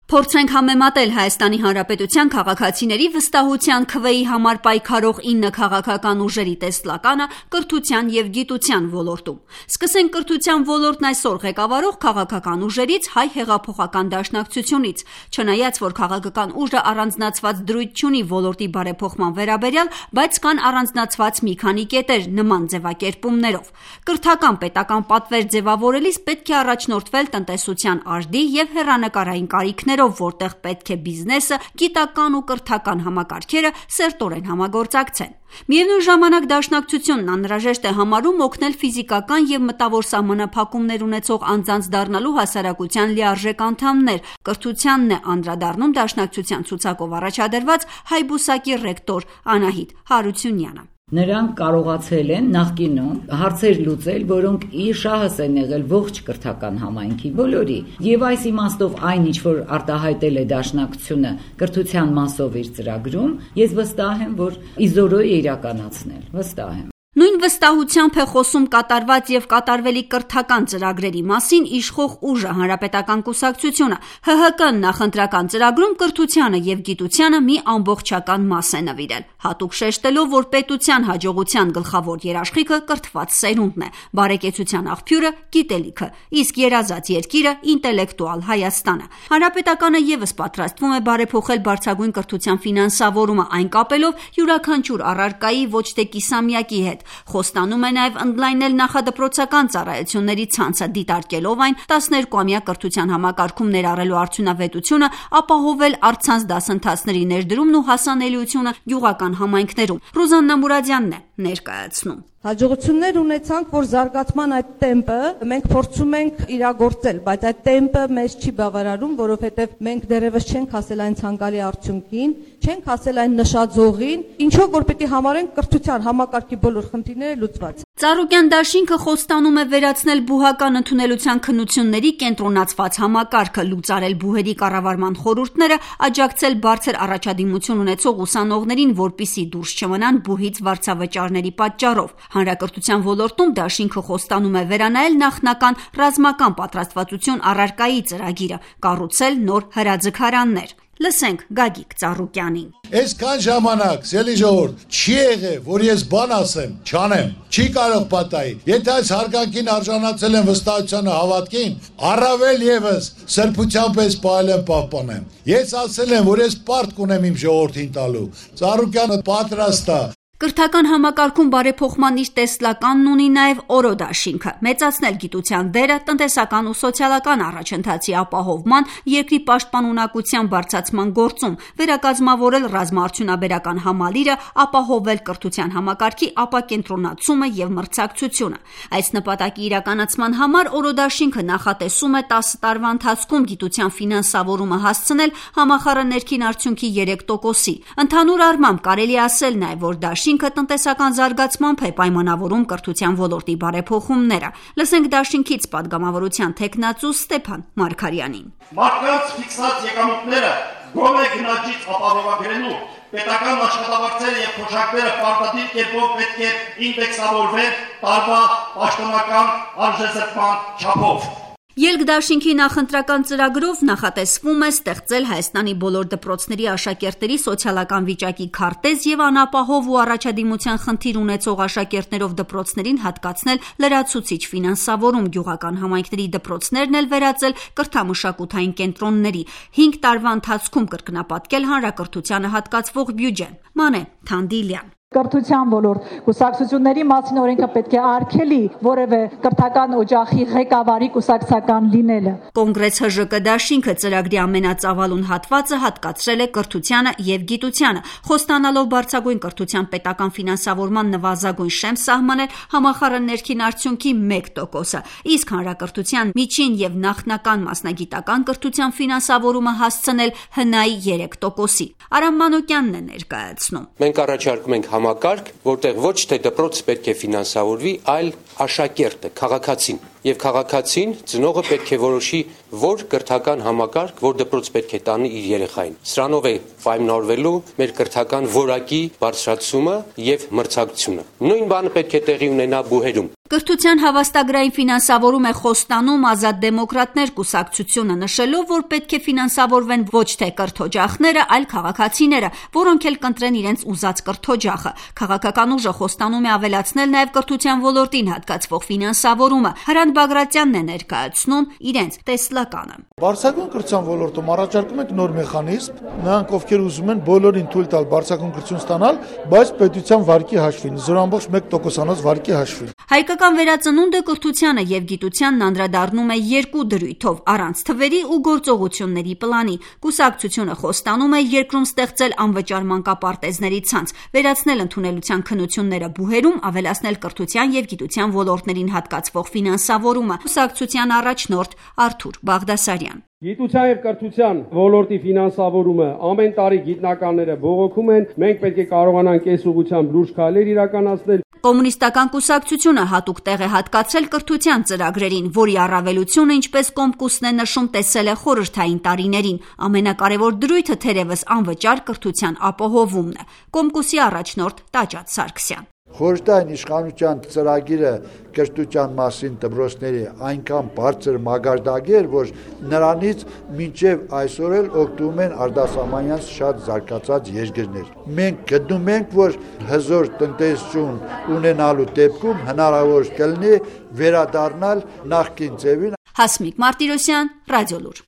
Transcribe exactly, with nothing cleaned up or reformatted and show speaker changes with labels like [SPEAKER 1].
[SPEAKER 1] Փորձենք համեմատել Հայաստանի Հանրապետության քաղաքացիների վստահության քվեի համար պայքարող ինը քաղաքական ուժերի տեսլականը կրթության և գիտության ոլորտում։ Սկսենք կրթության ոլորտն այսօր ղեկավարող քաղաքական ուժերից Հայ հեղափոխական դաշնակցությունից։ Չնայած որ քաղաքական ուժը առանձնացված դրույթ չունի ոլորտի բարեփոխման վերաբերյալ, բայց կան առանձնացված մի քանի կետեր նման ձևակերպումներով։ Կրթական պետական պատվեր ձևավորելիս պետք է առաջնորդվել տնտեսության արդի և հեռանկարային կարիքներով, որտեղ պետք է բիզնեսը, գիտական ու կրթական համակարգերը սերտորեն համագործակցեն։ Միևնույն ժամանակ դաշնակցությունն անհրաժեշտ է համարում օգնել ֆիզիկական և մտավոր սահմանափակումներ ունեցող անձանց դառնալու հասարակության լիարժեք անդամներ։ Կրթությանն է անդրադառնում դաշնակցության ցուցակով առաջադրված հայ բուսակի ռեկտոր Անահիտ Հարությունյանը։
[SPEAKER 2] Նրանք կարողացել են նախկինում հարցեր լուծել, որոնք իր շահս են եղել ողջ կրթական համայնքի բոլորի, եւ այս իմաստով այն ինչ որ արտահայտել է դաշնակցությունը կրթության մասով իր ծրագրում, ես վստահ եմ, որ իզորո է իրականացնել, վստահ եմ։
[SPEAKER 1] Նույն վստահությամբ է խոսում կատարված և կատարվելի կրթական ծրագրերի մասին իշխող ուժը Հանրապետական կուսակցությունը։ Հ Հ Կ-ն նախընտրական ծրագրում կրթությանը և գիտությանը մի ամբողջական մաս է նվիրել, հատուկ շեշտելով, որ պետության հաջողության գլխավոր երաշխիքը կրթված սերունդն է, բարեկեցության աղբյուրը գիտելիքը, իսկ երազած երկիրը ինտելեկտուալ Հայաստանը։ Հանրապետականը ևս պատրաստվում է բարեփոխել բարձրագույն կրթության ֆինանսավորումը, այն կապելով յուրաքանչյուր առարկայի ոչ թե կիսամյակի հետ։ Խոստանում է նաև ընդլայնել նախադպրոցական ծառայությունների ցանցը, դիտարկելով այն տասներկուամյա կրթության համակարգում ներառելու արդյունավետությունը, ապահովել առցանց դասընթացների ներդրումն ու հասանելիությունը գյուղական համայնքներում։ Ռուզաննա Մուրադյանն է ներկայացնում։
[SPEAKER 3] Հաջողություններ ունեցանք, որ զարգացման այդ տեմպը մենք փորձում ենք իրագործել, բայց այդ տեմպը մեզ չի բավարարում, որովհետև մենք դեռևս չենք հասել այն ցանկալի արդյունքին, չենք հասել այն նշաձողին, ինչով որ պետք է համարենք կրթության համակարգի բոլոր խնդիրները լուծված։
[SPEAKER 1] Ծառուկյան դաշինքը խոստանում է վերացնել բուհական ընդունելության քննությունների կենտրոնացված համակարգը, լուծարել բուհերի կառավարման խորհուրդները, աջակցել բարձր առաջադիմություն ունեցող ուսանողներին, որպիսի դուրս չմնան բուհից վարձավճարների պատճառով։ Հանրակրթության ոլորտում դաշինքը խոստանում է վերանայել նախնական ռազմական պատրաստվածություն առարկայի ծրագիրը, կառուցել նոր հրաձգարաններ։ Լսենք Գագիկ Ծառուկյանին։
[SPEAKER 4] Այսքան ժամանակ, սելի ժողովուրդ, չի եղել, որ ես բան ասեմ, չանեմ, չի կարող պատահի։ Եթե այս հարգանքին արժանացել են վստահությանը հավատքին, առավել եւս սրբությամբ ես պահել պահպանեմ։ Ես ասել եմ, որ ես պարտք ունեմ իմ ժողովրդին տալու։ Ծառուկյանը պատրաստ է։
[SPEAKER 1] Կրթական համակարգում բարեփոխման իր տեսլականն ունի նաև Օրո դաշինքը՝ մեծացնել գիտության դերը տնտեսական ու սոցիալական առաջընթացի ապահովման, երկրի պաշտպանունակության բարձրացման գործում, վերակազմավորել ռազմաարդյունաբերական համալիրը, ապահովել կրթության համակարգի ապակենտրոնացումը և մրցակցությունը։ Այս նպատակի իրականացման համար Օրո դաշինքը նախատեսում է տասը տարվա ընթացքում գիտության ֆինանսավորումը հասցնել համախառն ներքին արդյունքի երեք տոկոսի։ Ընդհանուր առմամբ կարելի ասել նաև, որ դաշինքը Դաշինքը տնտեսական զարգացմամբ է պայմանավորում կրթության ոլորտի բարեփոխումները։ Լսենք դաշինքից падգամավորության թեկնածու Ստեփան Մարգարյանին։
[SPEAKER 5] Մարդկանց ֆիքսած եկամուտները գոնե գնաճից ապահովագրելու պետական աշխատավարձերը եւ փոշակները պարտադիր կերպով պետք է ինդեքսավորվեն տարվա պաշտոնական արժեզրկման չափով։
[SPEAKER 1] Ելք դաշինքի նախընտրական ծրագրով նախատեսվում է ստեղծել Հայաստանի բոլոր դպրոցների աշակերտների սոցիալական վիճակի քարտեզ և անապահով ու առաջադիմության խնդիր ունեցող աշակերտներով դպրոցներին հատկացնել լրացուցիչ ֆինանսավորում, գյուղական համայնքների դպրոցներն էլ վերածել կրթամշակութային կենտրոնների, հինգ տարվա ընթացքում կրկնապատկել հանրակրթությանը հատկացվող բյուջեն։ Մանե Թանդիլյան։
[SPEAKER 6] Կրթության ոլորտ կուսակցությունների մասին օրենքը պետք է արգելի որևէ կրթական օջախի ղեկավարի կուսակցական լինելը։
[SPEAKER 1] Կոնգրես Հ Ժ Կ դաշինքը ծրագրի ամենածավալուն հատվածը հատկացրել է կրթությանը և գիտությանը, խոստանալով բարձրագույն կրթության պետական ֆինանսավորման նվազագույն շեմ սահմանել համախառն ներքին արդյունքի մեկ տոկոսը, իսկ հանրակրթության միջին և նախնական մասնագիտական կրթության ֆինանսավորումը հասցնել Հ Ն A-ի երեք տոկոսի։ Արամ Մանուկյանն է ներկայացնում։
[SPEAKER 7] Մենք առաջարկում ենք համակարգ, որտեղ ոչ թե դպրոցը պետք է ֆինանսավորվի, այլ աշակերտը, քաղաքացին։ Եվ քաղաքացին ծնողը պետք է որոշի, որ կրթական համակարգ, որ դպրոց պետք է տանի իր երեխային։ Սրանով է պայմանավորվելու մեր կրթական որակի բարձրացումը եւ մրցակցությունը։ Նույն բանը պետք է տեղի ունենա բուհերում։
[SPEAKER 1] Կրթության հավաստագրային ֆինանսավորում է խոստանում Ազատ դեմոկրատներ կուսակցությունը, նշելով, որ պետք է ֆինանսավորվեն ոչ թե կրթօջախները, այլ քաղաքացիները, որոնք էլ կընտրեն իրենց ուզած կրթօջախը։ Քաղաքական ուժը խոստանում է ավելացնել նաև կրթության ոլորտին հատկացվող ֆինանսավորումը։ Հրանտ Բագրատյանն է ներկայացնում իրենց տեսլականը։
[SPEAKER 8] Բարձրագույն կրթության ոլորտում առաջարկում ենք նոր մեխանիզմ, նրանք ովքեր ուզում են բոլորին թույլ տալ բարձրագույն կրթություն ստանալ, բայց պետության վարկի հաշվին, զրո ամբողջ մեկ տոկոսանոց վարկի հաշվին։
[SPEAKER 1] Հայկական վերածնունդը կրթությանը եւ գիտությանն անդրադառնում է երկու դրույթով՝ առանց թվերի ու գործողությունների պլանի։ Կուսակցությունը խոստանում է երկրում ստեղծել անվճար մանկապարտեզների ցանց, վերացնել ընդունելության քննությունները բուհերում, ավելացնել կրթության եւ գիտության ոլորտներին հատկացվող ֆինանսավորումը։ Կուսակցության առաջնորդ Արթուր Բաղդասարյան։
[SPEAKER 9] Գիտության եւ կրթության ոլորտի ֆինանսավորումը ամեն տարի գիտնականները բողոքում են, մենք պետք է կարողանանք այս ուղղությամբ լուրջ քայլեր իրականացնել։
[SPEAKER 1] Կոմունիստական կուսակցությունը հատուկ տեղ է հատկացրել կրթության ծրագրերին, որի առավելությունը, ինչպես Կոմկուսն է նշում, տեսել է խորհրդային տարիներին։ Ամենակարևոր դրույթը թերևս անվճար կրթության ապահովումն է։ Կոմկուսի առաջնորդ Տաճատ Սարգսյան։
[SPEAKER 10] Խորհրդային իշխանության ծրագիրը կրթության մասին դպրոցների այնքան բարձր մագարտակի էր, որ նրանից մինչև այսօր էլ օգտվում են արտասահմանյան շատ զարգացած երկրներ։ Մենք գտնում ենք, որ հզոր տնտեսություն ունենալու դեպքում հնարավոր կլինի վերադառնալ նախկին ձևին։
[SPEAKER 1] Հասմիկ Մարտիրոսյան, Ռադիոլուր։